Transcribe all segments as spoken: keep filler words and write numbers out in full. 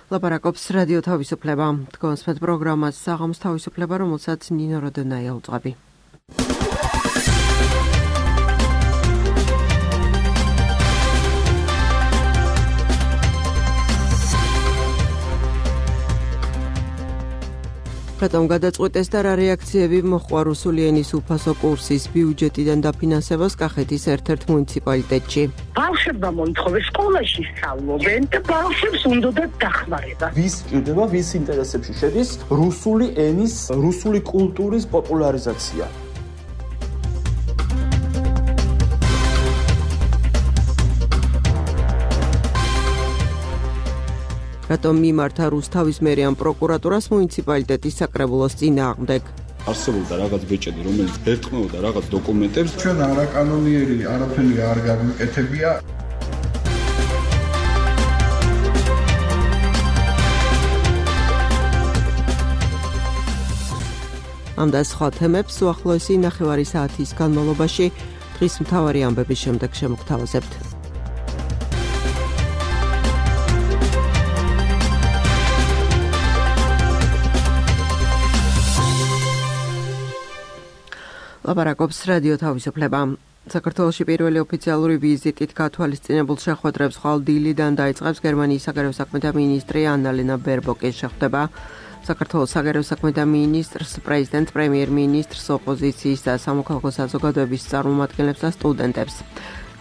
ლაპარაკობს რადიო თავისუფლება. თქვენს პროგრამას საღამოს თავისუფლება, რომელსაც ნინო როდონაია უწყობი. რატომ გადაწყვეტეს და რა რეაქციები მოჰყვა რუსული ენის უფასო კურსის ბიუჯეტიდან დაფინანსებას კახეთის ერთ-ერთ მუნიციპალიტეტში? ბავშვებმა მოითხოვეს სკოლაში სწავლობენ და ბავშვებს უნდათ დახმარება. ვის ჭირდება, ვის ინტერესებში შედის რუსული ენის, რუსული კულტურის პოპულარიზაცია. რატომ მიმართა რუსთავის მერიან პროკურატურას მუნიციპალიტეტის საკრებულოს წინააღმდეგ? არსებობდა რაღაც ბეჭედი, რომელიც ერტყმოდა რაღაც დოკუმენტებს. ჩვენ არაკანონიერი არაფერი არ გამიკეთებია. ამ და სხვა თემებს უახლოესი ნახევარი საათის განმავლობაში დღის მთავარი ამბების შემდეგ შემოგთავაზებთ. ლაპარაკობს რადიო თავისუფლება. საქართველოში პირველი ოფიციალური ვიზიტით გათვალისწინებულ შეხვედრებს ხვალ დილიდან დაიწყებს გერმანიის საგარეო საქმეთა მინისტრი ანა-ლენა ბერბოკი. შეხვდება საქართველოს საგარეო საქმეთა მინისტრს, პრეზიდენტს, პრემიერ-მინისტრს, ოპოზიციის და სამოქალაქო საზოგადოების წარმომადგენლებს და სტუდენტებს.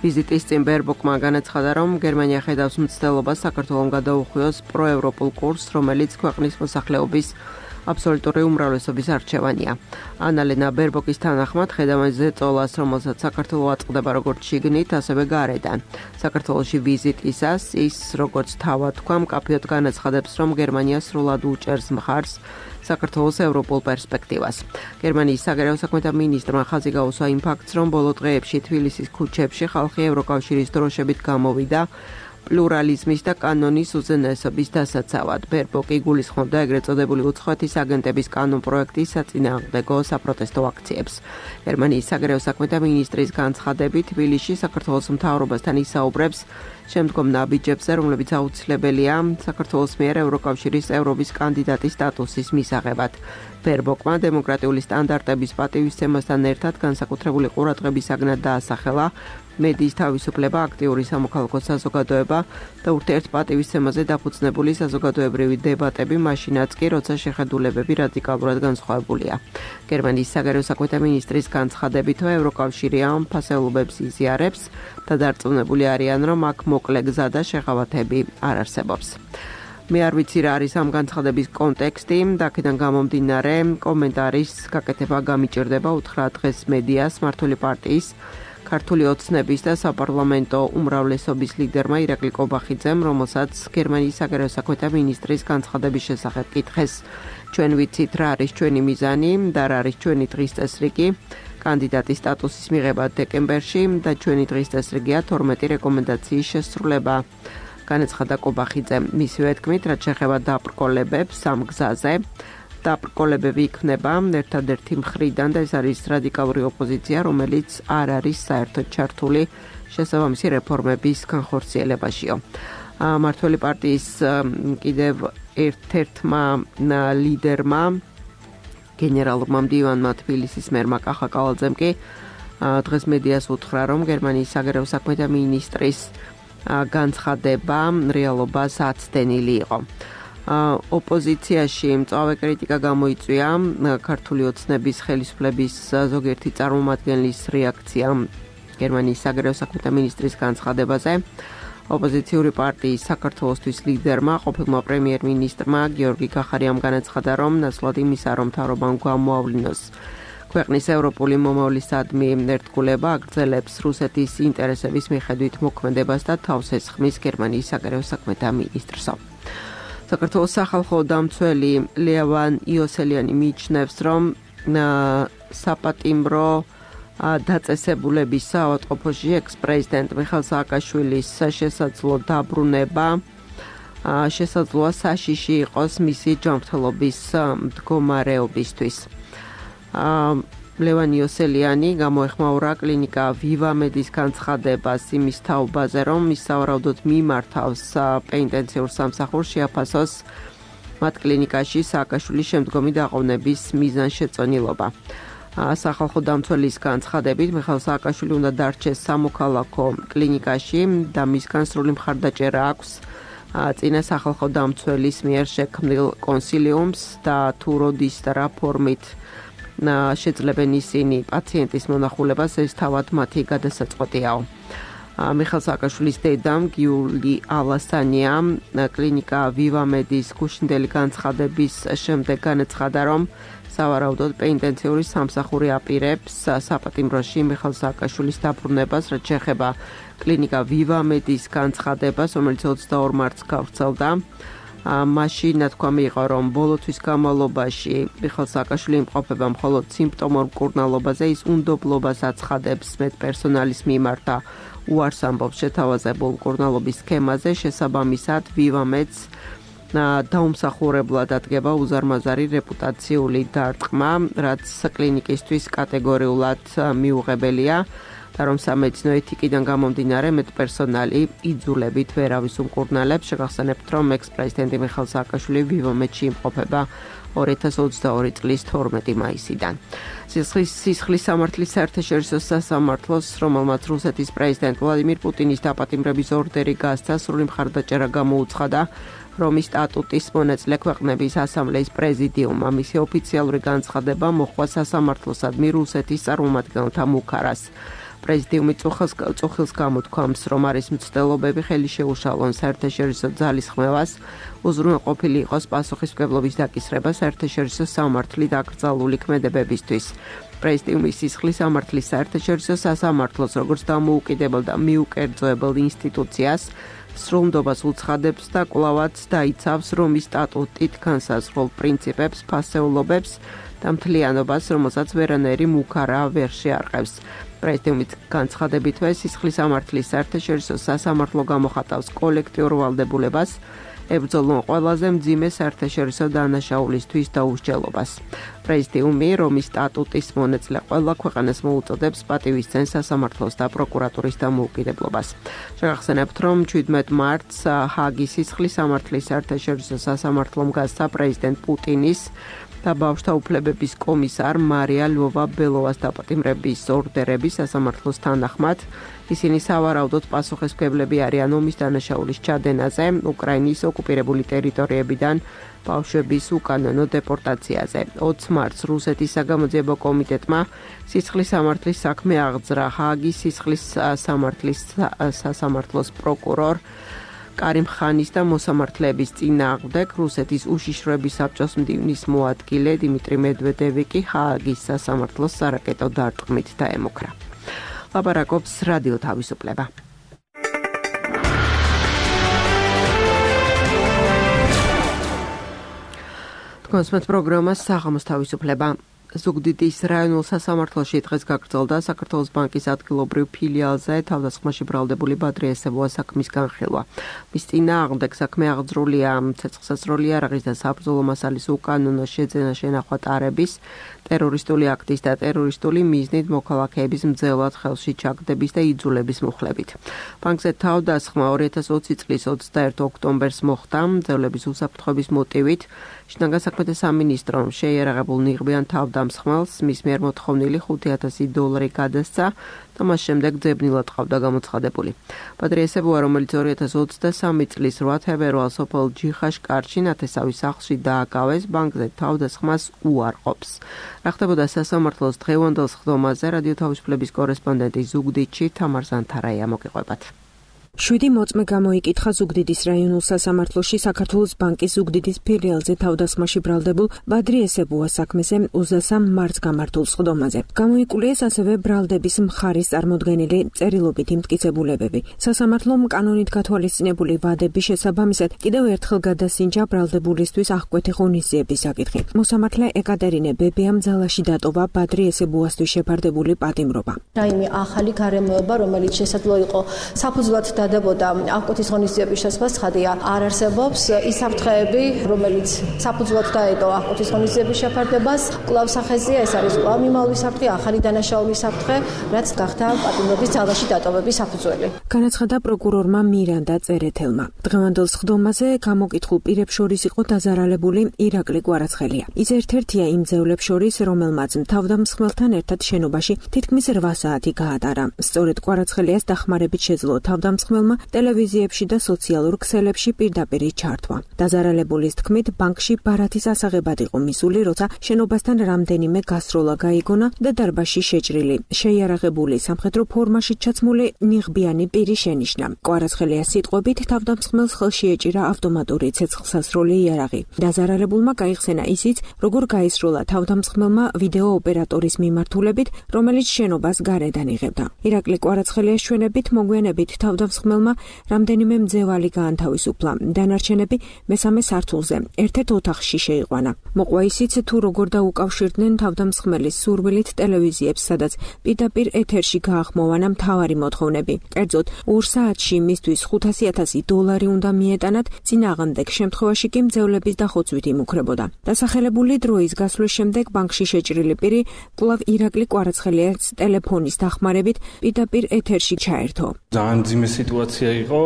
ვიზიტის წინ ბერბოკმა განაცხადა, რომ გერმანია ხედავს მცდელობას საქართველოს გადაუხვიოს პროევროპულ კურსს, რომელიც ქვეყნის მოსახლეობის აბსოლუტური უმრავლესობის არჩევანია. ანა-ლენა ბერბოკის თანახმად ხედავენ ზეწოლას, რომელსაც საქართველო აწყდება როგორც შიგნით, ასევე გარედან. საქართველოში ვიზიტისას ის, როგორც თავად თქვა, მკაფიოდ განაცხადებს, რომ გერმანია სრულად უჭერს მხარს საქართველოს ევროპულ პერსპექტივას. გერმანიის საგარეო საქმეთა მინისტრმა ხაზი გაუსვა იმ ფაქტს, რომ ბოლო დღეებში თბილისის ქუჩებში ხალხი ევროკავშირის დროშებით გამოვიდა პლურალიზმის და კანონის უზენაესობის დასაცავად. ბერბოკი გულისხმობდა ეგრეთ წოდებული უცხოეთის აგენტების კანონ პროექტის საწინააღმდეგო საპროტესტო აქციებს. გერმანიის საგარეო საქმეთა მინისტრის განცხადებით, თბილისში საქართველოს მთავრობასთან ისაუბრებს შემდგომ ნაბიჯებზე, რომლებიც აუცილებელია საქართველოს მიერ ევროკავშირის წევრობის კანდიდატის სტატუსის მისაღებად. ბერბოკმა დემოკრატიული სტანდარტების პატივისცემასთან ერთად განსაკუთრებული ყურადღების საგნად დაასახელა მედიის თავისუფლება, აქტიური სამოქალაქო საზოგადოება და ურთიერთპატივისცემაზე დაფუძნებული საზოგადოებრივი დებატები, მაშინაც კი, როცა შეხედულებები რადიკალურად განსხვავებულია. გერმანიის საგარეო საქმეთა მინისტრის განცხადებით, ევროკავშირი ამ ფასეულობებს იზიარებს და დარწმუნებული არიან, რომ აქ მოკლე გზა და შეღავათები არ არსებობს. მე არ ვიცი რა არის ამ განცხადების კონტექსტი, და აქედან გამომდინარე კომენტარის გაკეთება გამიჭირდება უთხრა დღეს მედიას მართული პარტიის ქართული ოცნების და საპარლამენტო უმრავლესობის ლიდერმა ირაკლი კობახიძემ, რომელსაც გერმანიის საგარეო საქმეთა მინისტრის განცხადების შესახებ კითხეს. ჩვენ ვიცით რა არის ჩვენი მიზანი და რა არის ჩვენი დღის წესრიგი კანდიდატის სტატუსის მიღება დეკემბერში და ჩვენი დღის წესრიგია თორმეტი რეკომენდაციის შესრულება. განაცხადა კობახიძემ. მისივე თქმით, რაც შეეხება დაბრკოლებებს ამ გზაზე, დაბრკოლებები იქნება ერთადერთი მხრიდან და ეს არის რადიკალური ოპოზიცია, რომელიც არ არის საერთოდ ჩართული შესაბამისი რეფორმების განხორციელებაშიო. მართული პარტიის კიდევ ერთ-ერთმა ლიდერმა, გენერალურმა მდივანმა თბილისის მერმა კახა კავალძემ კი დღეს მედიას უთხრა, რომ გერმანიის საგარეო საქმეთა მინისტრის განცხადება რეალობას აცდენილი იყო. ოპოზიციაში მწვავე კრიტიკა გამოიწვია ქართული ოცნების ხელისუფლების ზოგიერთი წარმომადგენლის რეაქცია გერმანიის საგარეო საქმეთა მინისტრის განცხადებაზე. ოპოზიციური პარტიის საქართველოსთვის ლიდერმა, ყოფილმა პრემიერ-მინისტრმა გიორგი გახარიამ განაცხადა, რომ ნაცვლად იმისა, რომ მთავრობამ გამოავლინოს ქვეყნის ევროპული მომავლისადმი ერთგულება, აგრძელებს რუსეთის ინტერესების მიხედვით მოქმედებას და თავს ესხმის გერმანიის საგარეო საქმეთა მინისტრს. საქართველოს სახალხო დამცველი ლევან იოსელიანი მიიჩნევს, რომ საპატიმრო დაწესებულების საავადმყოფოში ექს-პრეზიდენტ მიხეილ სააკაშვილის შესაძლო დაბრუნება შესაძლოა საშიში იყოს მისი ჯანმრთელობის მდგომარეობისთვის. ლევან იოსელიანი გამოეხმაურა კლინიკა ვივამედის განცხადებას იმის თაობაზე, რომ ის სავარაუდოდ მიმართავს პენიტენციურ სამსახურს შეაფასოს მათ კლინიკაში სააკაშვილის შემდგომი დაყოვნების მიზანშეწონილობა. სახალხო დამცველის განცხადებით მიხეილ სააკაშვილი უნდა დარჩეს სამოქალაქო კლინიკაში და მისგან სრული მხარდაჭერა აქვს წინა სახალხო დამცველის მიერ შექმნილ კონსილიუმს და თუ როდის და რა ფორმით შეძლებენ ისინი პაციენტის მონახულებას, ეს თავად მათი გადასაწყვეტიაო. მიხეილ სააკაშვილის დედამ გიული ალასანია კლინიკა ვივამედის გუშინდელი განცხადების შემდეგ განაცხადა, რომ სავარაუდოდ პენიტენციური სამსახური აპირებს საპატიმროში მიხეილ სააკაშვილის დაბრუნებას, რაც შეეხება კლინიკა ვივამედის განცხადებას, რომელიც ოცდაორ მარტს გავრცელდა. მაშინ ნათქვამი იყო, რომ ბოლოთვის განმავლობაში მიხეილ სააკაშვილი იმყოფება მხოლოდ სიმპტომურ მკურნალობაზე, ის უნდობლობას აცხადებს მედპერსონალის მიმართ და უარს ამბობს შეთავაზებულ მკურნალობის სქემაზე, შესაბამისად ვივამედს დაუმსახურებლად ადგება უზარმაზარი რეპუტაციული დარტყმა, რაც კლინიკისთვის კატეგორიულად მიუღებელია და რომ სამედიცინო ეთიკიდან გამომდინარე მედპერსონალი იძულებით ვერავის უმკურნალებს. შეგახსენებთ, რომ ექს-პრეზიდენტი მიხეილ სააკაშვილი ვივამედში იმყოფება ორი ათას ოცდაორი წლის თორმეტი მაისიდან. სისხლის სამართლის საერთაშორისო სასამართლოს, რომელმაც რუსეთის პრეზიდენტ ვლადიმირ პუტინის დაპატიმრების ორდერი გასცა, სრული მხარდაჭერა გამოუცხადა რომის სტატუტის მონაწილე ქვეყნების ასამბლეის პრეზიდიუმმა. მისი ოფიციალური განცხადება მოჰყვა სასამართლოსადმი რუსეთის წარმომადგენელთა მუქარას. პრეზიდიუმი წუხილს გამოთქვამს, რომ არის მცდელობები ხელი შეუშალონ საერთაშორისო ძალის ხმევას, უზრუნველყოფილი იყოს პასუხისმგებლობის დაკისრება საერთაშორისო სამართლით აკრძალული ქმედებებისთვის. პრეზიდიუმი სისხლის სამართლის საერთაშორისო სასამართლოს, როგორც დამოუკიდებელ და მიუკერძოებელ ინსტიტუციას, სრულნდობას უცხადებს და კვლავაც დაიცავს რომის სტატუტით განსაზღვრულ პრინციპებს, ფასეულობებს და მთლიანობას, რომელსაც ვერანაირი მუქარა ვერ შეარყევს. პრეზიდიუმის განცხადებითვე სისხლის სამართლის საერთაშორისო სასამართლო გამოხატავს კოლექტიურ ვალდებულებას, ებრძოლონ ყველაზე მძიმე საერთაშორისო დანაშაულისთვის დაუსჯელობას. პრეზიდიუმი რომის სტატუტის მონაწილე ყველა ქვეყანას მოუწოდებს პატივისცემს სასამართლოს და პროკურატურის დამოუკიდებლობას. შეგახსენებთ, რომ შვიდმეტ მარტს ჰააგის სისხლის სამართლის საერთაშორისო სასამართლომ გასცა პრეზიდენტ პუტინის და ბავშვთა უფლებების კომისარ მარია ლვოვა-ბელოვას დაპატიმრების ორდერები სასამართლოს თანახმად. ისინი სავარაუდოდ პასუხისმგებლები არიან ომის დანაშაულის ჩადენაზე, უკრაინის ოკუპირებული ტერიტორიებიდან ბავშვების უკანონო დეპორტაციაზე. ოცი მარტს რუსეთის საგამოძიებო კომიტეტმა სისხლის სამართლის საქმე აღძრა ჰააგის სისხლის სამართლის სასამართლოს პროკურორ კარიმ ხანის და მოსამართლეების წინააღმდეგ. რუსეთის უშიშროების საბჭოს მდივნის მოადგილე დიმიტრი მედვედევი კი ჰააგის სასამართლოს სარაკეტო დარტყმით დაემუქრა. ლაპარაკობს რადიო თავისუფლება. თქვენს პროგრამას საღამოს თავისუფლება. ზუგდიდის რაიონულ სასამართლოში დღეს გაგრძელდა საქართველოს ბანკის ადგილობრივ ფილიალზე თავდასხმაში ბრალდებული ბადრი ესებუას საქმის განხილვა. მის წინააღმდეგ საქმე აღძრულია ცეცხლსასროლი იარაღის და საბრძოლო მასალის უკანონო შეძენა შენახვა ტარების, ტერორისტული აქტის და ტერორისტული მიზნით მოქალაქეების მძევლად ხელში ჩაგდების და იძულების მუხლებით. ბანკზე თავდასხმა ორი ათას ოცი წლის ოცდაერთი ოქტომბერს მოხდა მძევლების უსაფრთხოების მოტივით. შინაგან საქმეთა სამინისტრომ შეიარაღებულ ნიღბიან თავდამსხმელს მის მიერ მოთხოვნილი ხუთი ათასი დოლარი გადასცა და მას შემდეგ ძებნილად ყავდა გამოცხადებული. ბადრი ესებუა, რომელიც ორი ათას ოცდასამი წლის რვა თებერვალს სოფელ ჯიხაშკარში ნათესავის სახლში დააკავეს, ბანკზე თავდასხმას უარყოფს. რა ხდებოდა სასამართლოს დღევანდელ სხდომაზე, რადიო თავისუფლების კორესპონდენტი ზუგდიდში თამარ ზანთარაია მოგიყვებათ. შვიდი მოწმე გამოიკითხა ზუგდიდის რაიონულ სასამართლოში საქართველოს ბანკის ზუგდიდის ფილიალზე თავდასხმაში ბრალდებულ ბადრი ესებუას საქმეზე ოცდასამ მარტს გამართულ სხდომაზე. გამოიკულიეს ასევე ბრალდების მხარის წარმოდგენილი წერილობითი მტკიცებულებები. სასამართლომ კანონით გათვალისწინებული ვადების შესაბამისად კიდევ ერთხელ გადასინჯა ბრალდებულისთვის აღკვეთი ღონისძიების საკითხი. მოსამართლე ეკატერინე ბებიამ ძალაში დატოვა ბადრი ესებუასთვის შეფარდებული პატიმრობა. რაიმე ახალი გარემოება, რომელიც შესაძლოა იყო საფუძვლად დადებოდა აღკვეთის ღონისძიების შესაძლებლობა ცხადია არ არსებობს. ის საფრთხეები, რომელიც საფუძვლად დაედო აღკვეთის ღონისძიების შეფარდებას, კვლავ სახეზია, ეს არის კვლავ მიმავლის საფრთხე, ახალი დანაშაულის საფრთხე, რაც გახდა პატიმრობის ძალაში დატოვების საფუძველი. განაცხადა პროკურორმა მირანდა წერეთელმა. დღევანდელ სხდომაზე გამოკითხულ პირებს შორის იყო დაზარალებული ირაკლი კვარაცხელია. ის ერთ-ერთია იმ ძევლებს შორის, რომელმაც თავდამსხმელთან ერთად შენობაში თითქმის რვა საათი გაატარა. სწორედ კვარაცხელიას დახმარებით შეძლო თავდამსხმელმა ტელევიზიებში და სოციალურ ქსელებში პირდაპირ ჩართვა. დაზარალებულის თქმით, ბანკში ბარათის ასაღებად იყო მისული, როცა შენობასთან რამდენიმე გასროლა გაიგონა და დარბაზში შეჭრილი, შეიარაღებული სამხედრო ფორმაში ჩაცმული ნიღბიანი პირი შენიშნა. კვარაცხელიას სიტყვებით, თავდამსხმელს ხელში ეჭირა ავტომატური ცეცხლსასროლი იარაღი. დაზარალებულმა გაიხსენა ისიც, როგორ გაისროლა თავდამსხმელმა ვიდეო ოპერატორის მიმართულებით, რომელიც შენობას გარედან იღებდა. ირაკლი კვარაცხელიას ჩვენებით მოგვიანებით თავდამსხმელმა რამდენიმე მძევალი გაანთავისუფლა. დანარჩენები მესამე სართულზე, ერთ-ერთ ოთახში შეიყვანა. მოყვა ისიც, თუ როგორ დაუკავშირდნენ თავდამსხმელის სურვილით ტელევიზიებს, სადაც პირდაპირ ეთერში გაახმოვანა მთავარი მოთხოვნები. კერძოდ, ორ საათში მისთვის ხუთასი ათასი დოლარი უნდა მიეტანათ, წინააღმდეგ შემთხვევაში კი მძევლების დახოცვით იმუქრებოდა. დასახელებული დროის გასვლის შემდეგ ბანკში შეჭრილი პირი კვლავ ირაკლი კვარაცხელიას ტელეფონის დახმარებით პირდაპირ ეთერში ჩაერთო. ძალიან მძიმე სიტუაცია იყო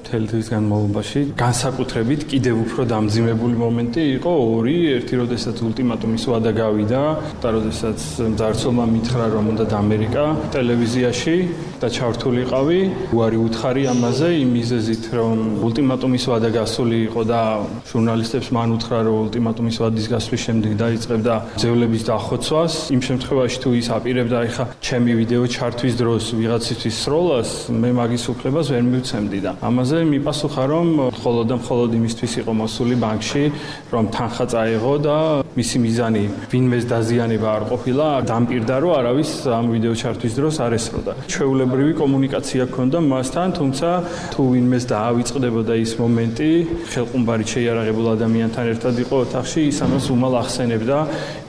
მთელი დღის განმავლობაში. განსაკუთრებით კიდევ უფრო დამძიმებული მომენტი იყო ორი, ერთი როდესაც ულტიმატუმის ვადა გავიდა და როდესაც მძარცველმა მითხრა, რომ უნდა ამერიკა ტელევიზიაში და ჩართულიყავი. უარი უთხარი ამაზე იმ მიზეზით, რომ ულტიმატუმის ვადა გასული იყო და ჟურნალისტებს მან უთხრა, რომ ულტიმატუმის ვადის გასვლის შემდეგ დაიწყებდა ძევლების დახოცვას. იმ შემთხვევაში თუ ის აპირებდა ეხა ჩემი ვიდეო ჩართვის დროს ვიღაცისთვის სროლას, მე მაგის უფლებას ვერ მივცემდი და ამაზე მიპასუხა, რომ მხოლოდ და მხოლოდ იმისთვის იყო მოსული ბანკში, რომ თანხა წაეღო და მისი მიზანი ვინმეს დაზიანება არ ყოფილა, დამპირდა, რომ არავის ამ ვიდეო ჩართვის დროს არ ესროდა. ჩვეულებრივი კომუნიკაცია ჰქონდა მასთან, თუმცა თუ ვინმეს დაავიწყდებოდა ის მომენტი, ხელყუმბარით შეიარაღებულ ადამიანთან ერთად იყო ოთახში, ის ამას უმალ ახსენებდა,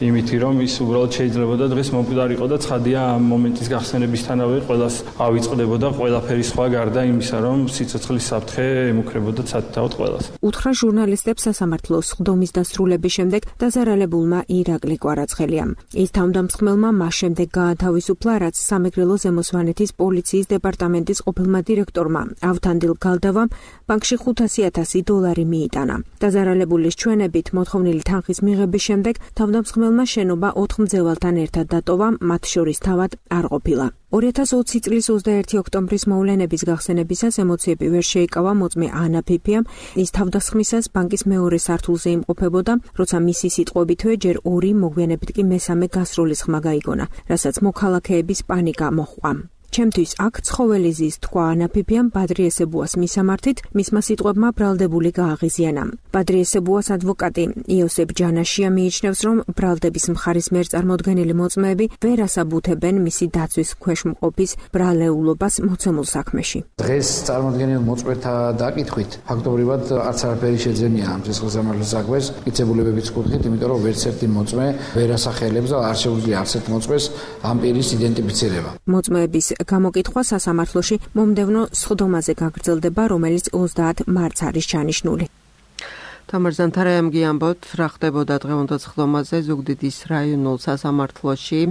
იმითი რომ ის უბრალოდ შეიძლებოდა დღეს მომკვდარიყო და ცხადია ამ მომენტის გახსენებისთანავე ყველას ავიწყდებოდა ყველაფერი სხვა გარდა იმისა, რომ სიცოცხლის საფრთხე ემუქრებოდა ცალკეულ ყველას. უთხრა ჟურნალისტებს სასამართლოს სხდომის დასრულების შემდეგ დაზარალებულმა ირაკლი კვარაცხელიამ. ის თავდამსხმელმა მას შემდეგ გაათავისუფლა, რაც სამეგრელო ზემოსვანეთის პოლიციის დეპარტამენტის ყოფილმა დირექტორმა ავთანდილ გალდავამ ბანკში ხუთასი ათასი დოლარი მიიტანა. დაზარალებულის ჩვენებით მოთხოვნილი თანხის მიღების შემდეგ თავდამსხმელმა შენობა ოთხ მძევალთან ერთად დატოვა, მათ შორის თავად არ ყოფილა. ორი ათას ოცი წლის ოცდაერთი ოქტომბრის მოვლენების გახსენებისას ემოციები ვერ შეიკავა მოწმე ანა ფიფიამ. ის თავდასხმისას ბანკის მეორე სართულზე იმყოფებოდა, როცა მისი სიტყვებითვე ჯერ ორი, მოგვიანებით კი მესამე გასროლის ხმა გაიგონა, რასაც მოქალაქეების პანიკა მოჰყვა. ჩემთვის აქ ცხოველი ზის თქვა ანა ფიფიამ ბადრი ესებუას მისამართით, მისმა სიტყვებმა ბრალდებული გააღიზიანა. ბადრი ესებუას ადვოკატი იოსებ ჯანაშია მიიჩნევს, რომ ბრალდების მხარის მიერ წარმოდგენილი მოწმეები ვერ ასაბუთებენ მისი დაცვის ქვეშ მყოფის ბრალეულობას მოცემულ საქმეში. დღეს წარმოდგენილ მოწმეთა დაკითხვით ფაქტობრივად არც არაფერი შეძენია ამ ცეცხლსამართლოს საქმეს მტკიცებულებების კუთხით, იმიტომ რომ ვერც ერთი მოწმე ვერ ასახელებს და არ შეუძლია არც ერთ მოწმეს ამ პირის იდენტიფიცირება. მოწმეების გამოკითხვა სასამართლოში მომდევნო სხდომაზე გაგრძელდება, რომელიც ოცდაათ მარტს არის ჩანიშნული. თამარ ზანთარაიამგი ამბობთ, რა ხდებოდა დღევანდელ სხდომაზე ზუგდიდის რაიონულ სასამართლოში,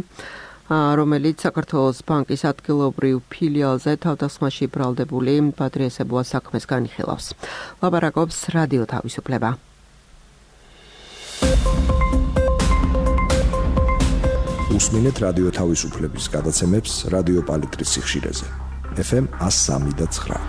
რომელიც საქართველოს ბანკის ადგილობრივ ფილიალზე თავდასხმაში ბრალდებული ბადრი ესებუას საქმეს განიხილავს. ლაპარაკობს რადიო თავისუფლება. უსმინეთ რადიო თავისუფლების გადაცემებს რადიო პალიტრის სიხშირეზე. ეფ ემ one oh three point nine.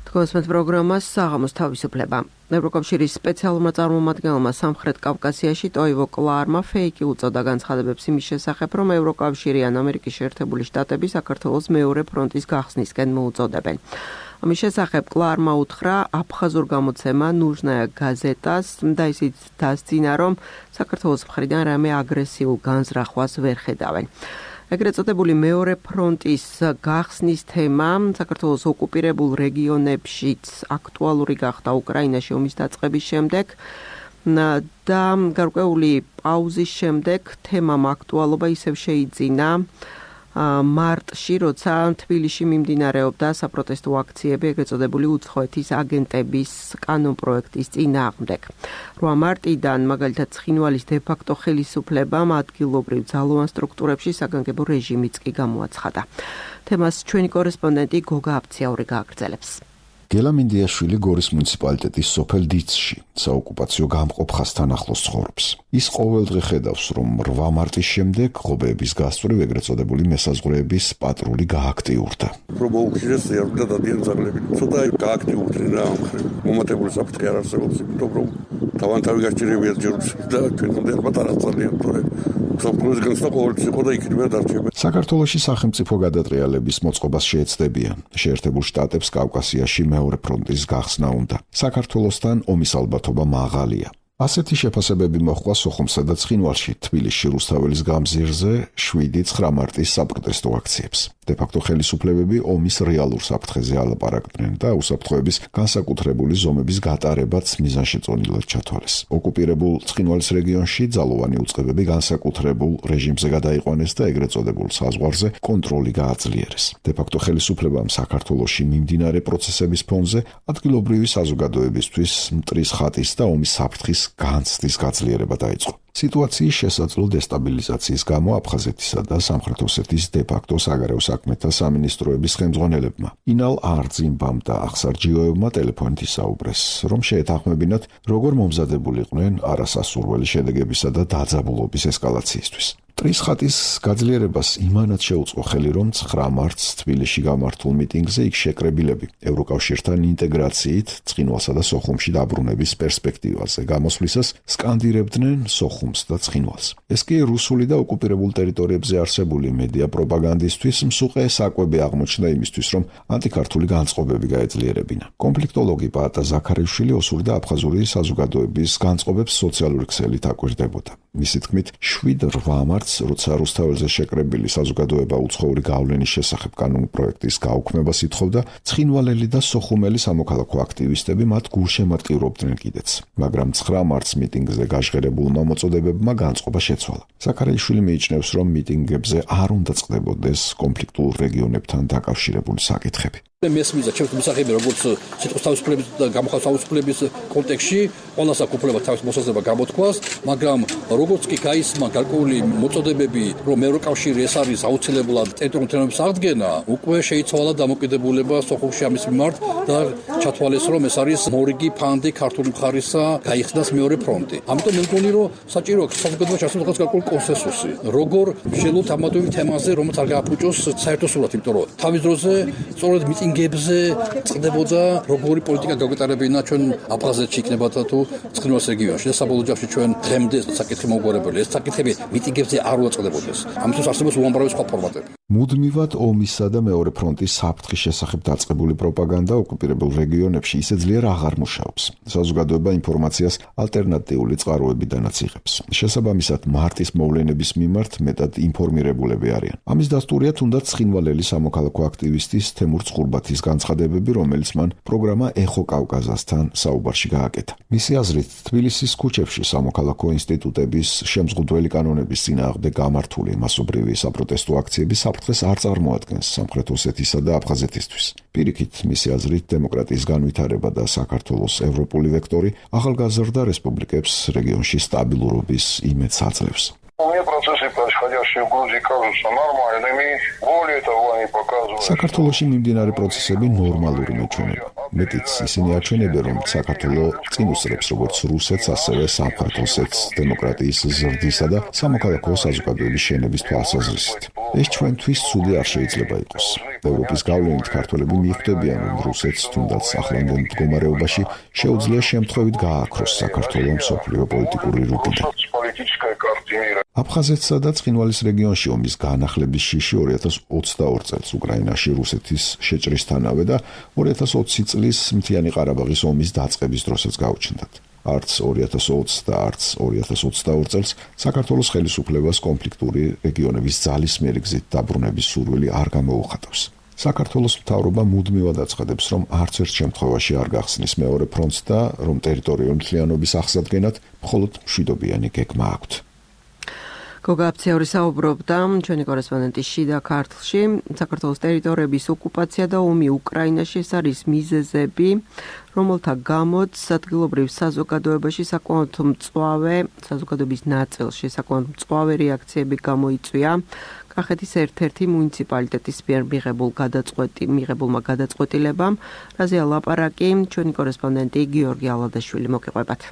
თქვენს პროგრამას საღამოს თავისუფლება. ევროკავშირის სპეციალურმა წარმომადგენელმა სამხრეთ კავკასიაში ტოივო კლარმა ფეიკი უწოდა განცხადებებს იმის შესახებ, რომ ევროკავშირი ან ამერიკის შეერთებული შტატები საქართველოს მეორე ფრონტის გახსნისკენ მოუწოდებენ. ამის შესახებ კლარმა უთხრა აფხაზურ გამოცემა ნუჟნაია გაზეტას და ისიც დასძინა, რომ საქართველოს მხრიდან რამე აგრესიულ განზრახვას ვერ ხედავენ. ეგრეთ წოდებული მეორე ფრონტის გახსნის თემა საქართველოს ოკუპირებულ რეგიონებშიც აქტუალური გახდა უკრაინაში ომის დაწყების შემდეგ და გარკვეული პაუზის შემდეგ თემამ აქტუალობა ისევ შეიძინა მარტში, როცა თბილისში მიმდინარეობდა საპროტესტო აქციები ეგრეთ წოდებული უცხოეთის აგენტების კანონპროექტის წინააღმდეგ. რვა მარტიდან მაგალითად ცხინვალის დე-ფაქტო ხელისუფლებამ ადგილობრივ ძალოვან სტრუქტურებში საგანგებო რეჟიმიც კი გამოაცხადა. თემას ჩვენი კორესპონდენტი გოგა აფციაური გააგრძელებს. გელა მინდიაშვილი გორის მუნიციპალიტეტის სოფელ დიცში საოკუპაციო გამყოფ ხაზთან ახლოს ცხოვრობს. ის ყოველდღე ხედავს, რომ რვა მარტის შემდეგ ღობეების გასწვრივ ეგრეთ წოდებული მესაზღვრეების პატრული გააქტიურდა. პრობოუქირეს ზიარდა დადიან ძაღლები. ცოტა გააქტიურდნენ რა ამ ხრივ. მომატებული საფრთხე არ არსებობს, იმიტომ რომ თავანთავი გაჭირებია ჯერს და ჩვენამდე ალბათ არ აწალიან, თორე საფრთხის განცდა ყოველთვის იყო და იქნებია დარჩება. საქართველოში სახელმწიფო გადატრიალების მოწყობას შეეცდებიან. შეერთებულ შტატებს კავკასიაში მეორე ფრონტის გახსნა უნდა. საქართველოსთან ომის ალბათობა მაღალია. ასეთი შეფასებები მოხდა სოხუმსა და ცხინვალში თბილისში რუსთაველის გამზირზე შვიდი ცხრა მარტის საპროტესტო აქციებს. დე-ფაქტო ხელისუფლებები ომის რეალურ საფრთხეზე ალაპარაკდნენ და უსაფრთხოების განსაკუთრებული ზომების გატარებაც მიზანშეწონილად ჩათვალეს. ოკუპირებულ ცხინვალის რეგიონში ძალოვანი უწყებები განსაკუთრებულ რეჟიმზე გადაიყვანეს და ეგრეთ წოდებულ საზღვარზე კონტროლი გააძლიერეს. დე-ფაქტო ხელისუფლებამ საქართველოში მიმდინარე პროცესების ფონზე ადგილობრივი საზოგადოებისთვის მტრის ხატის და ომის საფრთხის განცდის გაძლიერება დაიწყო. სიტუაციის შესაძლო დესტაბილიზაციის გამო აფხაზეთისა და სამხრეთ ოსეთის დე-ფაქტო საგარეო საქმეთა სამინისტროების ხელმძღვანელებმა ინალ არძიმბამ და ახსარჯიოევმა ტელეფონით ისაუბრეს, რომ შეეთანხმებინათ, როგორ მომზადებულიყვნენ არასასურველი შედეგებისა და დაძაბულობის ესკალაციისთვის. მტრის ხატის გაძლიერებას იმანად შეუწყო ხელი, რომ ცხრა მარტს თბილისში გამართულ მიტინგზე იქ შეკრებილები ევროკავშირთან ინტეგრაციით ცხინვალსა და სოხუმში დაბრუნების პერსპექტივაზე გამოსვლისას სკანდირებდნენ სოხუმს და ცხინვალს. ეს კი რუსული და ოკუპირებულ ტერიტორიებზე არსებული მედია პროპაგანდისთვის მსუყე საკვები აღმოჩნდა იმისთვის, რომ ანტიქართული განწყობები გაეძლიერებინა. კონფლიქტოლოგი პაატა ზაქარიშვილი ოსური და აფხაზური საზოგადოების განწყობებს სოციალური ქსელით აკვირდებოდა. მისი თქმით, შვიდ რვა მარტს როცა რუსთაველზე შეკრებილი საზოგადოება უცხოური გავლენის შესახებ კანონპროექტის გაუქმებას ითხოვდა, ცხინვალელი და სოხუმელი სამოქალაქო აქტივისტები მათ გულშემატკივრობდნენ კიდეც. მაგრამ ცხრა მარტს მიტინგზე გაჟღერებულმა მოწოდებებმა განწყობა შეცვალა. ზაქარიაშვილი მიიჩნევს, რომ მიტინგებზე არ უნდა წყდებოდეს კონფლიქტურ რეგიონებთან დაკავშირებული საკითხები. მესმის ჩემს მსახიობი როგორც სიტყვის თავისუფლების და გამოხატვის თავისუფლების კონტექსტში ყველას აქვს უფლება თავის მოსაზრება გამოთქვას, მაგრამ როგორც კი გაისმა გარკვეული მოწოდებები, რომ ევროკავშირი ეს არის აუცილებლად ტერიტორიული თემების აღდგენა, უკვე შეიცვალა დამოკიდებულება სოხუმში ამის მიმართ და ჩათვალეს, რომ ეს არის მორიგი ფანდი ქართული მხარისა გაიხსნას მეორე ფრონტი. ამიტომ მე მგონი, რომ საჭირო აქვს საზოგადოებაში არსებობს გარკვეული კონსენსუსი. როგორ შეძლოთ ამ თემაზე, რომელიც არ გააფუჭოს საერთო სურათი, იმიტომ რომ თავის დროზე სწორედ მიტინგებზე წყდებოდა როგორი პოლიტიკა გაგვეტარებინა ჩვენ აფხაზეთში იქნებოდა თუ ცხინვალის რეგიონში და საბოლოო ჯამში ჩვენ დღემდე საკითხი მოგვარებული. ეს საკითხები მიტინგებზე არ უწყდებოდეს. ამისთვის არსებობს უამრავი სხვა ფორმატები. მუდმივად ომისა და მეორე ფრონტის საფრთხის შესახებ დაწყებული პროპაგანდა ოკუპირებულ რეგიონებში ისე ძლიერ აღარ მუშაობს. საზოგადოება ინფორმაციას ალტერნატიული წყაროებიდანაც იღებს. შესაბამისად, მარტის მოვლენების მიმართ მეტად ინფორმირებულები არიან. ამის დასტურია თუნდაც ცხინვალელი სამოქალაქო აქტივისტის თემურ წყურბათის განცხადებები, რომელიც მან პროგრამა ეხო კავკაზასთან საუბარში გააკეთა. მისი აზრით, თბილისის ქუჩებში სამოქალაქო ინსტიტუტების შემზღუდველი კანონების წინააღმდეგ გამართული მასობრივი საპროტესტო აქციები საფრთხეს არ წარმოადგენს სამხრეთ ოსეთისა და აფხაზეთისთვის. პირიქით, მისი აზრით, დემოკრატიის განვითარება და საქართველოს ევროპული ვექტორი ახალგაზრდა რესპუბლიკებს რეგიონში სტაბილურობის იმედს აძლევს. საქართველოში მიმდინარე პროცესები ნორმალური მეჩვენება. მეტიც ისინი აჩვენებენ, რომ საქართველოს წინ უსწრებს როგორც რუსეთს, ასევე სამხრეთ ოსეთს დემოკრატიის ზრდისა და სამოქალაქო საზოგადოების შენების თვალსაზრისით. ეს ჩვენთვის ცუდი არ შეიძლება იყოს. ევროპის გავლენით ქართველები მიხვდებიან, რომ რუსეთს თუნდაც ახლანდელ მდგომარეობაში შეუძლია შემთხვევით გააქროს საქართველოს მსოფლიო პოლიტიკური რუკიდან. აფხაზეთსა და ცხინვალის რეგიონში ომის განახლების შიში ორი ათას ოცდაორი წელს უკრაინაში რუსეთის შეჭრისთანავე და ორი ათას ოცი წლის მთიანი ყარაბაღის ომის დაწყების დროსაც გაუჩნდათ. არც ორი ათას ოცი და არც ორი ათას ოცდაორი წელს საქართველოს ხელისუფლებას კონფლიქტური რეგიონების ძალისმიერი გზით დაბრუნების სურვილი არ გამოუხატავს. საქართველოს მთავრობა მუდმივად აცხადებს, რომ არც ერთ შემთხვევაში არ გახსნის მეორე ფრონტს და რომ ტერიტორიული მთლიანობის აღსადგენად მხოლოდ მშვიდობიანი გეგმა აქვთ. გოგა აფციური საუბრობდა ჩვენი კორესპონდენტი შიდა ქართლში. საქართველოს ტერიტორიების ოკუპაცია და ომი უკრაინაში ეს არის მიზეზები, რომელთა გამოც ადგილობრივ საზოგადოებაში საკმაოდ მწვავე, საზოგადოების ნაწილში საკმაოდ მწვავე რეაქციები გამოიწვია. კახეთის ერთ-ერთი მუნიციპალიტეტის მიერ მიღებულ გადაწყვეტი მიღებულმა გადაწყვეტილებამ, რაზეა ლაპარაკი ჩვენი კორესპონდენტი გიორგი ალადაშვილი მოგიყვებათ.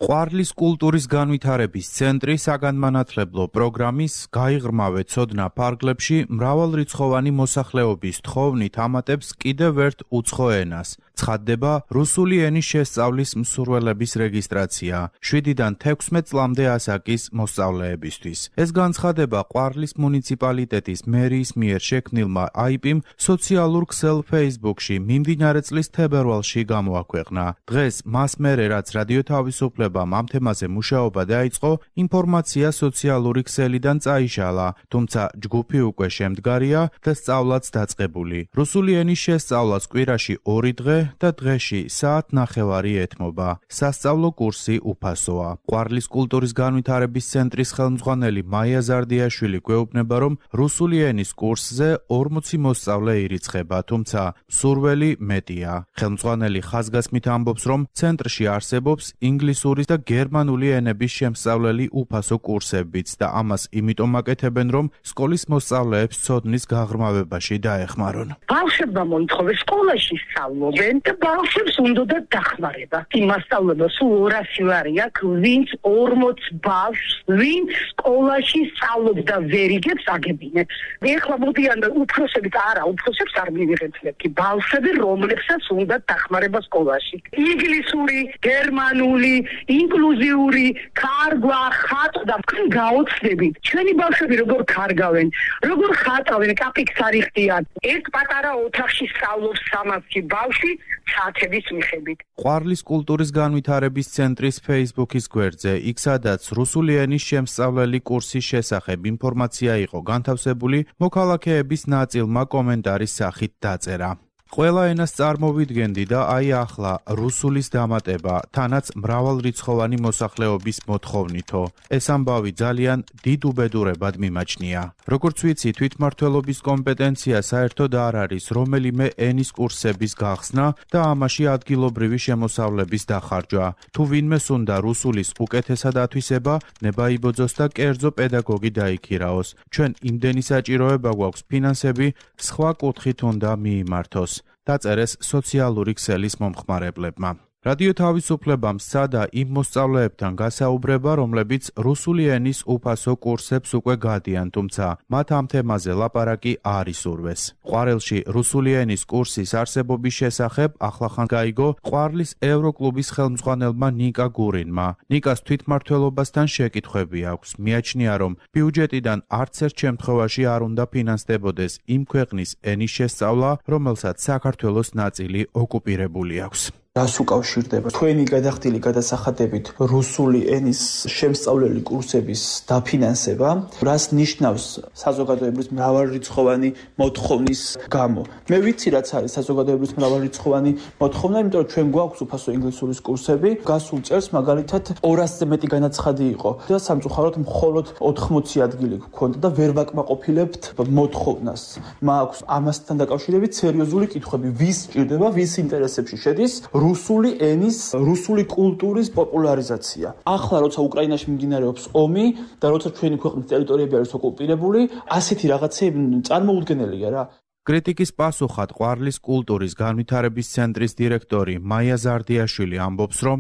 ყვარლის კულტურის განვითარების ცენტრი საგანმანათლებლო პროგრამის გაიღრმავე ცოდნა ფარგლებში მრავალრიცხოვანი მოსახლეობის თხოვნით ამატებს კიდევ ერთ უცხო ენას. ცხადდება რუსული ენის შესწავლის მსურველების რეგისტრაცია შვიდიდან თექვსმეტ წლამდე ასაკის მოსწავლეებისთვის. ეს განცხადება ყვარლის მუნიციპალიტეტის მერიის მიერ შექმნილმა აიპ-მ სოციალურ ქსელ Facebook-ში მიმდინარე წლის თებერვალში გამოაქვეყნა. დღეს მას მერე რაც რადიო თავისუფლებამ ამ თემაზე მუშაობა დაიწყო, ინფორმაცია სოციალური ქსელიდან წაიშალა, თუმცა ჯგუფი უკვე შემდგარია და სწავლაც დაწყებული. რუსული ენის შესწავლას კვირაში ორი დღე და დღეში საათ ნახევარი ეთმობა. სასწავლო კურსი უფასოა. ყვარლის კულტურის განვითარების ცენტრის ხელმძღვანელი მაია ზარდიაშვილი გვეუბნება, რომ რუსული ენის კურსზე ორმოცი მოსწავლე ირიცხება, თუმცა მსურველი მეტია. ხელმძღვანელი ხაზგასმით ამბობს, რომ ცენტრში არსებობს ინგლისურის და გერმანული ენების შემსწავლელი უფასო კურსებიც და ამას იმიტომ აკეთებენ, რომ სკოლის მოსწავლეებს ცოდნის გაღრმავებაში დაეხმარონ. ბავშვებმა მოითხოვეს სკოლაში სწავლობენ და ბავშვებს უნდა დახმარება. იმ მასწავლებლებს სულ ორასი ვარი აქვს, ვინც ორმოც ბავშვს, ვინც სკოლაში სწავლობს და ვერ იგებს აგებინებს. ეხლა მოდიან და უფროსებით არა, უფროსებს არ მივიღებთ, კი ბავშვები, რომლებსაც უნდა დახმარება სკოლაში. ინგლისური, გერმანული, ინკლუზიური, კარგვა, ხატვა, თქვენ გაოცდებით. ჩვენი ბავშვები როგორ კარგავენ, როგორ ხატავენ, კაპიკს არ იხდიან. ერთ პატარა ოთახში სწავლობს სამასი ბავშვი საათების მიხედვით. ყვარლის კულტურის განვითარების ცენტრის Facebook-ის გვერდზე, იქ სადაც რუსული ენის შემსწავლელი კურსის შესახებ ინფორმაცია იყო განთავსებული, მოქალაქეების ნაწილმა კომენტარის სახით დაწერა. ყველა ენას წარმოვიდგენდი და აი ახლა რუსულის დამატება, თანაც მრავალრიცხოვანი მოსახლეობის მოთხოვნითო. ეს ამბავი ძალიან დიდ უბედურებად მიმაჩნია. როგორც ვიცი, თვითმმართველობის კომპეტენცია საერთოდ არ არის რომელიმე ენის კურსების გახსნა და ამაში ადგილობრივი შემოსავლების დახარჯვა. თუ ვინმეს უნდა რუსულის უკეთესად ათვისება, ნება იბოძოს და კერძო პედაგოგი დაიქირაოს. ჩვენ იმდენი საჭიროება გვაქვს ფინანსები, სხვა კუთხით უნდა მიიმართოს. დაწერეს სოციალური ქსელის მომხმარებლებმა. რადიო თავისუფლებამ სცადა იმ მოსწავლეებთან გასაუბრება, რომლებიც რუსული ენის უფასო კურსებს უკვე გადიან, თუმცა მათ ამ თემაზე ლაპარაკი არ ისურვეს. ყვარელში რუსული ენის კურსის არსებობის შესახებ ახლახან გაიგო ყვარლის ევროკლუბის ხელმძღვანელმა ნიკა გურინმა. ნიკას თვითმმართველობასთან შეკითხვები აქვს. მიაჩნია, რომ ბიუჯეტიდან არც ერთ შემთხვევაში არ უნდა ფინანსდებოდეს იმ ქვეყნის ენის შესწავლა, რომელსაც საქართველოს ნაწილი ოკუპირებული აქვს. რას უკავშირდება თქვენი გადახდილი გადასახადებით რუსული ენის შემსწავლელი კურსების დაფინანსება, რას ნიშნავს საზოგადოებრივ მრავალრიცხოვანი მოთხოვნის გამო. მე ვიცი რაც არის საზოგადოებრივ მრავალრიცხოვანი მოთხოვნა, იმიტომ რომ ჩვენ გვაქვს უფასო ინგლისურის კურსები, გასულ წელს მაგალითად ორასზე მეტი განაცხადი იყო და სამწუხაროდ მხოლოდ ოთხმოცი ადგილი გქონდა და ვერ ვაკმაყოფილებთ მოთხოვნას. მაქვს ამასთან დაკავშირებით სერიოზული კითხვები, ვის სჭირდება, ვის ინტერესებში შედის რუსული ენის, რუსული კულტურის პოპულარიზაცია. ახლა როცა უკრაინაში მიმდინარეობს ომი და როცა ჩვენი ქვეყნის ტერიტორიები არის ოკუპირებული, ასეთი რაღაცები წარმოუდგენელია რა. კრიტიკის პასუხად ყვარლის კულტურის განვითარების ცენტრის დირექტორი მაია ზარდიაშვილი ამბობს, რომ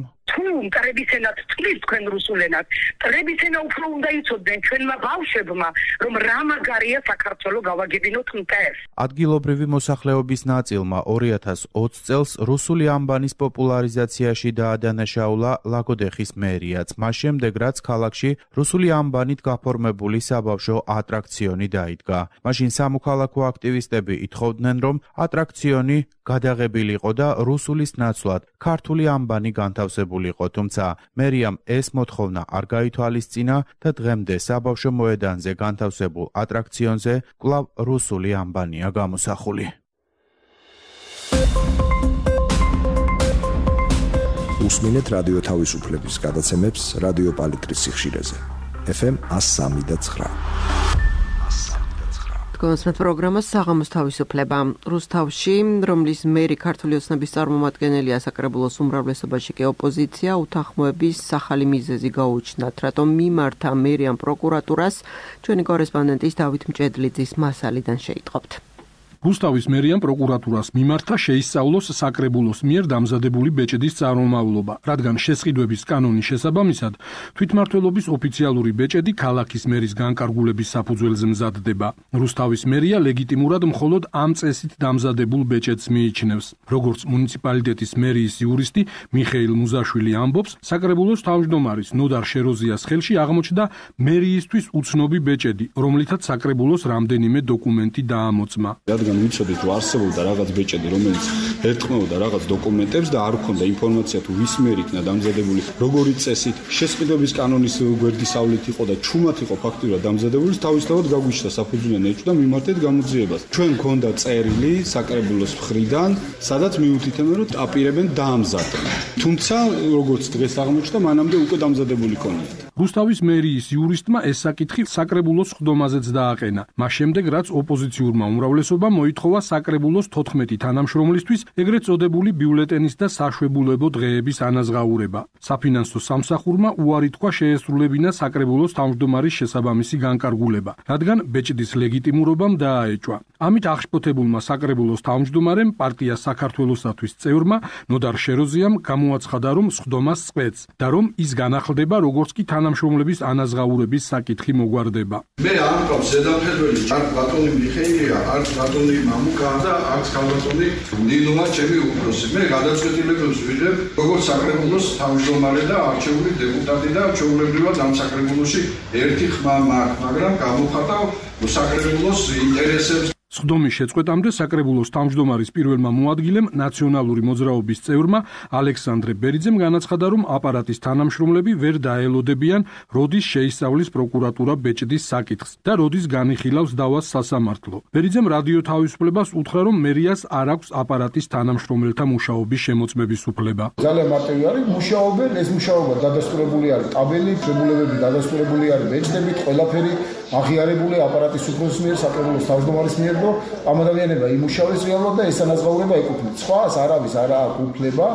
მტრების ენად წყლის თქვენ რუსულ ენად. მტრების ენა უფრო უნდა იცოდნენ ჩვენმა ბავშვებმა, რომ რა მაგარია საქართველო გავაგებინოთ მტერს. ადგილობრივი მოსახლეობის ნაწილმა ორი ათას ოცი წელს რუსული ანბანის პოპულარიზაციაში დაადანაშაულა ლაგოდეხის მერიაც. მას შემდეგ, რაც ქალაქში რუსული ანბანით გაფორმებული საბავშვო ატრაქციონი დაიდგა. მაშინ სამოქალაქო აქტივისტები ითხოვდნენ, რომ ატრაქციონი გადაღებილიყო და რუსულის ნაცვლად ქართული ანბანი განთავსებულიყო. თუმცა მერიამ ეს მოთხოვნა არ გაითვალისწინა და დღემდე საბავშვო მოედანზე განთავსებულ ატრაქციონზე კვლავ რუსული ანბანია გამოსახული. უსმინეთ რადიო თავისუფლების გადაცემებს რადიო პალიტრის სიხშირეზე. ეფ ემ one oh three და nine. კონსმეთ პროგრამას საღამოს თავისუფლება. რუსთავში, რომლის მერი ქართული ოცნების წარმომადგენელია, საკრებულოს უმრავლესობაში კი ოპოზიცია, უთანხმოების ახალი მიზეზი გაუჩნდათ, რატომ მიმართა მერიან პროკურატურას, ჩვენი კორესპონდენტის დავით მჭედლიძის მასალიდან შეიტყობთ. რუსთავის მერიან პროკურატურას მიმართა შეისწავლოს საკრებულოს მიერ დამზადებული ბეჭედის წარმომავლობა, რადგან შესყიდვების კანონის შესაბამისად თვითმმართველობის ოფიციალური ბეჭედი ქალაქის მერის განკარგულების საფუძველზე მზადდება. რუსთავის მერია ლეგიტიმურად მხოლოდ ამ წესით დამზადებულ ბეჭედს მიიჩნევს. როგორც მუნიციპალიტეტის მერიის იურისტი მიხეილ მუზაშვილი ამბობს, საკრებულოს თავმჯდომარის ნოდარ შეროზიას ხელში აღმოჩნდა მერიისთვის უცნობი ბეჭედი, რომლითაც საკრებულოს რამდენიმე დოკუმენტი დაამოწმა. ვიცოდით, რომ არსებობდა რაღაც ბეჭედი, რომელიც ერტყმოდა რაღაც დოკუმენტებს და არ ჰქონდა ინფორმაცია თუ ვის მიერ იქნა დამზადებული, როგორი წესით, შესყიდვების კანონის გვერდისავლით იყო და ჩუმად იყო ფაქტურად დამზადებული, თავისთავად გაგვიჩნდა საფუძვლიანი ეჭვ და მიმართეთ გამოძიებას. ჩვენ გქონდა წერილი საკრებულოს მხრიდან, სადაც მიუთითებენ, რომ აპირებენ დაამზადონ. თუმცა, როგორც დღეს აღმოჩნდა, მანამდე უკვე დამზადებული ქონიათ. რუსთავის მერიის იურისტმა ეს საკითხი საკრებულოს ხდომაზეც დააყენა. მას შემდეგ, რაც ოპოზიციურმა უმრავლესობამ მოითხოვა საკრებულოს თოთხმეტი თანამშრომლისთვის ეგრეთ წოდებული ბიულეტენის და საშვებულებო დღეების ანაზღაურება. საფინანსო სამსახურმა უარი თქვა შეესრულებინა საკრებულოს თავმჯდომარის შესაბამისი განკარგულება, რადგან ბეჭდის ლეგიტიმურობამ დააეჭვა. ამით აღშფოთებულმა საკრებულოს თავმჯდომარემ პარტია საქართველოსათვის წევრმა ნოდარ შეროზიამ გამოაცხადა, რომ სხდომას წყვეტს და რომ ის განახლდება, როგორც კი თანამშრომლების ანაზღაურების საკითხი მოგვარდება. მე არ მყავს ზედამხედველი არ ბატონი მიხეილია, არ ბატონი მამუკა და არც ქალბატონი ნინოა ჩემი უფროსი. მე გადაწყვეტილებებს ვიღებ როგორც საკრებულოს თავმჯდომარე და არჩეული დეპუტატი და ჩვეულებრივად ამ საკრებულოში ერთი ხმა მაქვს, მაგრამ გამოვხატავ საკრებულოს ინტერესებს. სხდომის შეწყვეტამდე საკრებულოს თავმჯდომარის პირველმა მოადგილემ ნაციონალური მოძრაობის წევრმა ალექსანდრე ბერიძემ განაცხადა, რომ აპარატის თანამშრომლები ვერ დაელოდებიან, როდის შეისწავლის პროკურატურა ბეჭდის საკითხს და როდის განიხილავს დავას სასამართლო. ბერიძემ რადიო თავისუფლებას უთხრა, რომ მერიას არ აქვს აპარატის თანამშრომელთა მუშაობის შემოწმების უფლება. ძალიან მარტივი არის, მუშაობენ, ეს მუშაობა დადასტურებული არის ტაბელით, რეგულირებები დადასტურებული არის ბეჭდებით, ყველაფერი აღიარებული აპარატის უფროსის მიერ, საკრებულოს თავმჯდომარის მიერ. ამ ადამიანებმა იმუშავეს რეალურად და ეს ანაზღაურება ეკუთვნით. სხვას არავის არ აქვს უფლება,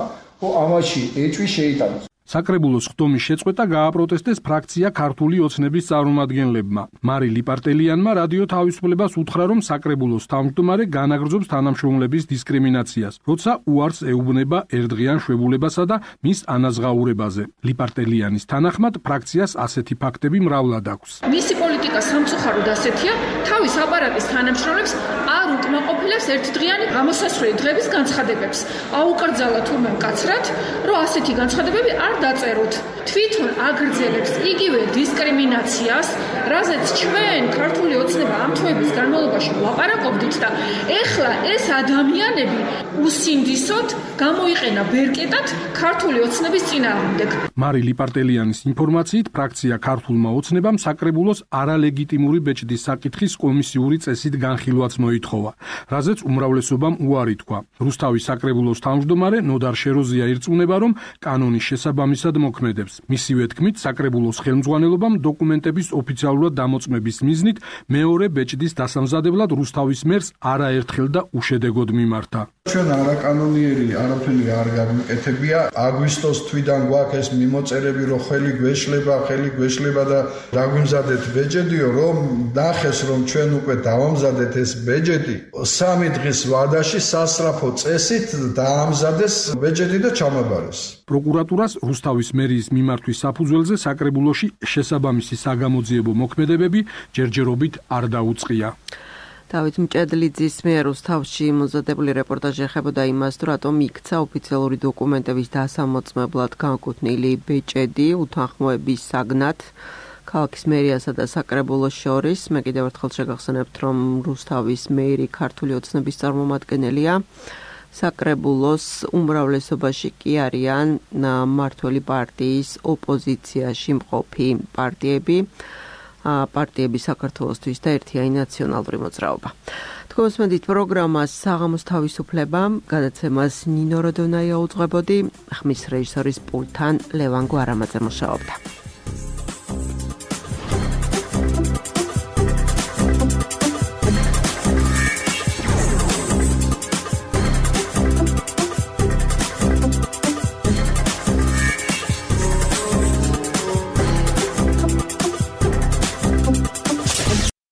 რომ ამაში ეჭვი შეიტანოს. საკრებულოს ხდომის შეწყვეტა გააპროტესტეს ფრაქცია ქართული ოცნების წარმომადგენლებმა. მარი ლიპარტელიანმა რადიო თავისუფლებას უთხრა, რომ საკრებულოს თავმჯდომარე განაგრძობს თანამშრომლების დისკრიმინაციას, როცა უარს ეუბნება ერთდღიან შვებულებასა და მის ანაზღაურებაზე. ლიპარტელიანის თანახმად, ფრაქციას ასეთი ფაქტები მრავლად აქვს. მისი პოლიტიკა სამწუხაროდ ასეთია, თავის აპარატის თანამშრომლებს არ უკმაყოფილებს ერთდღიანი გამოსასვლელი დღების განცხადებებს. აუკრძალა თურმე მკაცრად, რომ ასეთი განცხადებები არ დაწეროთ. თვითონ აგრძელებს იგივე დისკრიმინაციას, რაზეც ჩვენ ქართული ოცნება ამ თვეების განმავლობაში ვლაპარაკობდით და ეხლა ეს ადამიანები უსინდისოდ გამოიყენა ბერკეტად ქართული ოცნების წინააღმდეგ. მარი ლიპარტელიანის ინფორმაციით, ფრაქცია ქართულმა ოცნებამ საკრებულოს არალეგიტიმური ბეჭდის საკითხის კომისიური წესით განხილვაც მოითხოვა, რაზეც უმრავლესობამ უარი თქვა. რუსთავის საკრებულოს თავმჯდომარე ნოდარ შეროზია ირწმუნება, რომ კანონის შესაბამისად მოქმედებს. მისივე თქმით, საკრებულოს ხელმძღვანელობამ დოკუმენტების ოფიციალურად დამოწმების მიზნით მეორე ბეჭდის დასამზადებლად რუსთავის მერს არაერთხელ და უშედეგოდ მიმართა. ჩვენ არაკანონიერი არაფერი არ გამიკეთებია. აგვისტოს თვიდან გვაქვს ეს მიმოწერები, რომ ხელი გვეშლება, ხელი გვეშლება და დაგვიმზადეთ ბეჭედიო, რომ ნახეს, რომ ჩვენ უკვე დავამზადეთ ეს ბეჭედი. სამი დღის ვადაში სასწრაფო წესით დაამზადეს ბეჭედი და ჩამაბარეს. პროკურატურას რუსთავის მერიის მიმართვის საფუძველზე საკრებულოში შესაბამისი საგამოძიებო მოქმედებები ჯერჯერობით არ დაუწყია. დავით მჭედლიძის მიერ რუსთავში მომზადებული რეპორტაჟი ეხებოდა იმას, თუ რატომ იქცა ოფიციალური დოკუმენტების დასამოწმებლად განკუთვნილი ბეჭედი უთანხმოების საგნად ქალაქის მერიასა და საკრებულოს შორის. მე კიდევ ერთხელ შეგახსენებთ, რომ რუსთავის მერი ქართული ოცნების წარმომადგენელია. საკრებულოს უმრავლესობაში კი არიან მმართველი პარტიის ოპოზიციაში მყოფი პარტიები, პარტიები საქართველოსთვის და ერთიანი ნაციონალური მოძრაობა. თქვენს მედით პროგრამას საღამოს თავისუფლება, გადაცემას ნინო როდონაია უძღვებოდი, ხმის რეჟისორის პულტთან ლევან გვარამაძე მუშაობდა.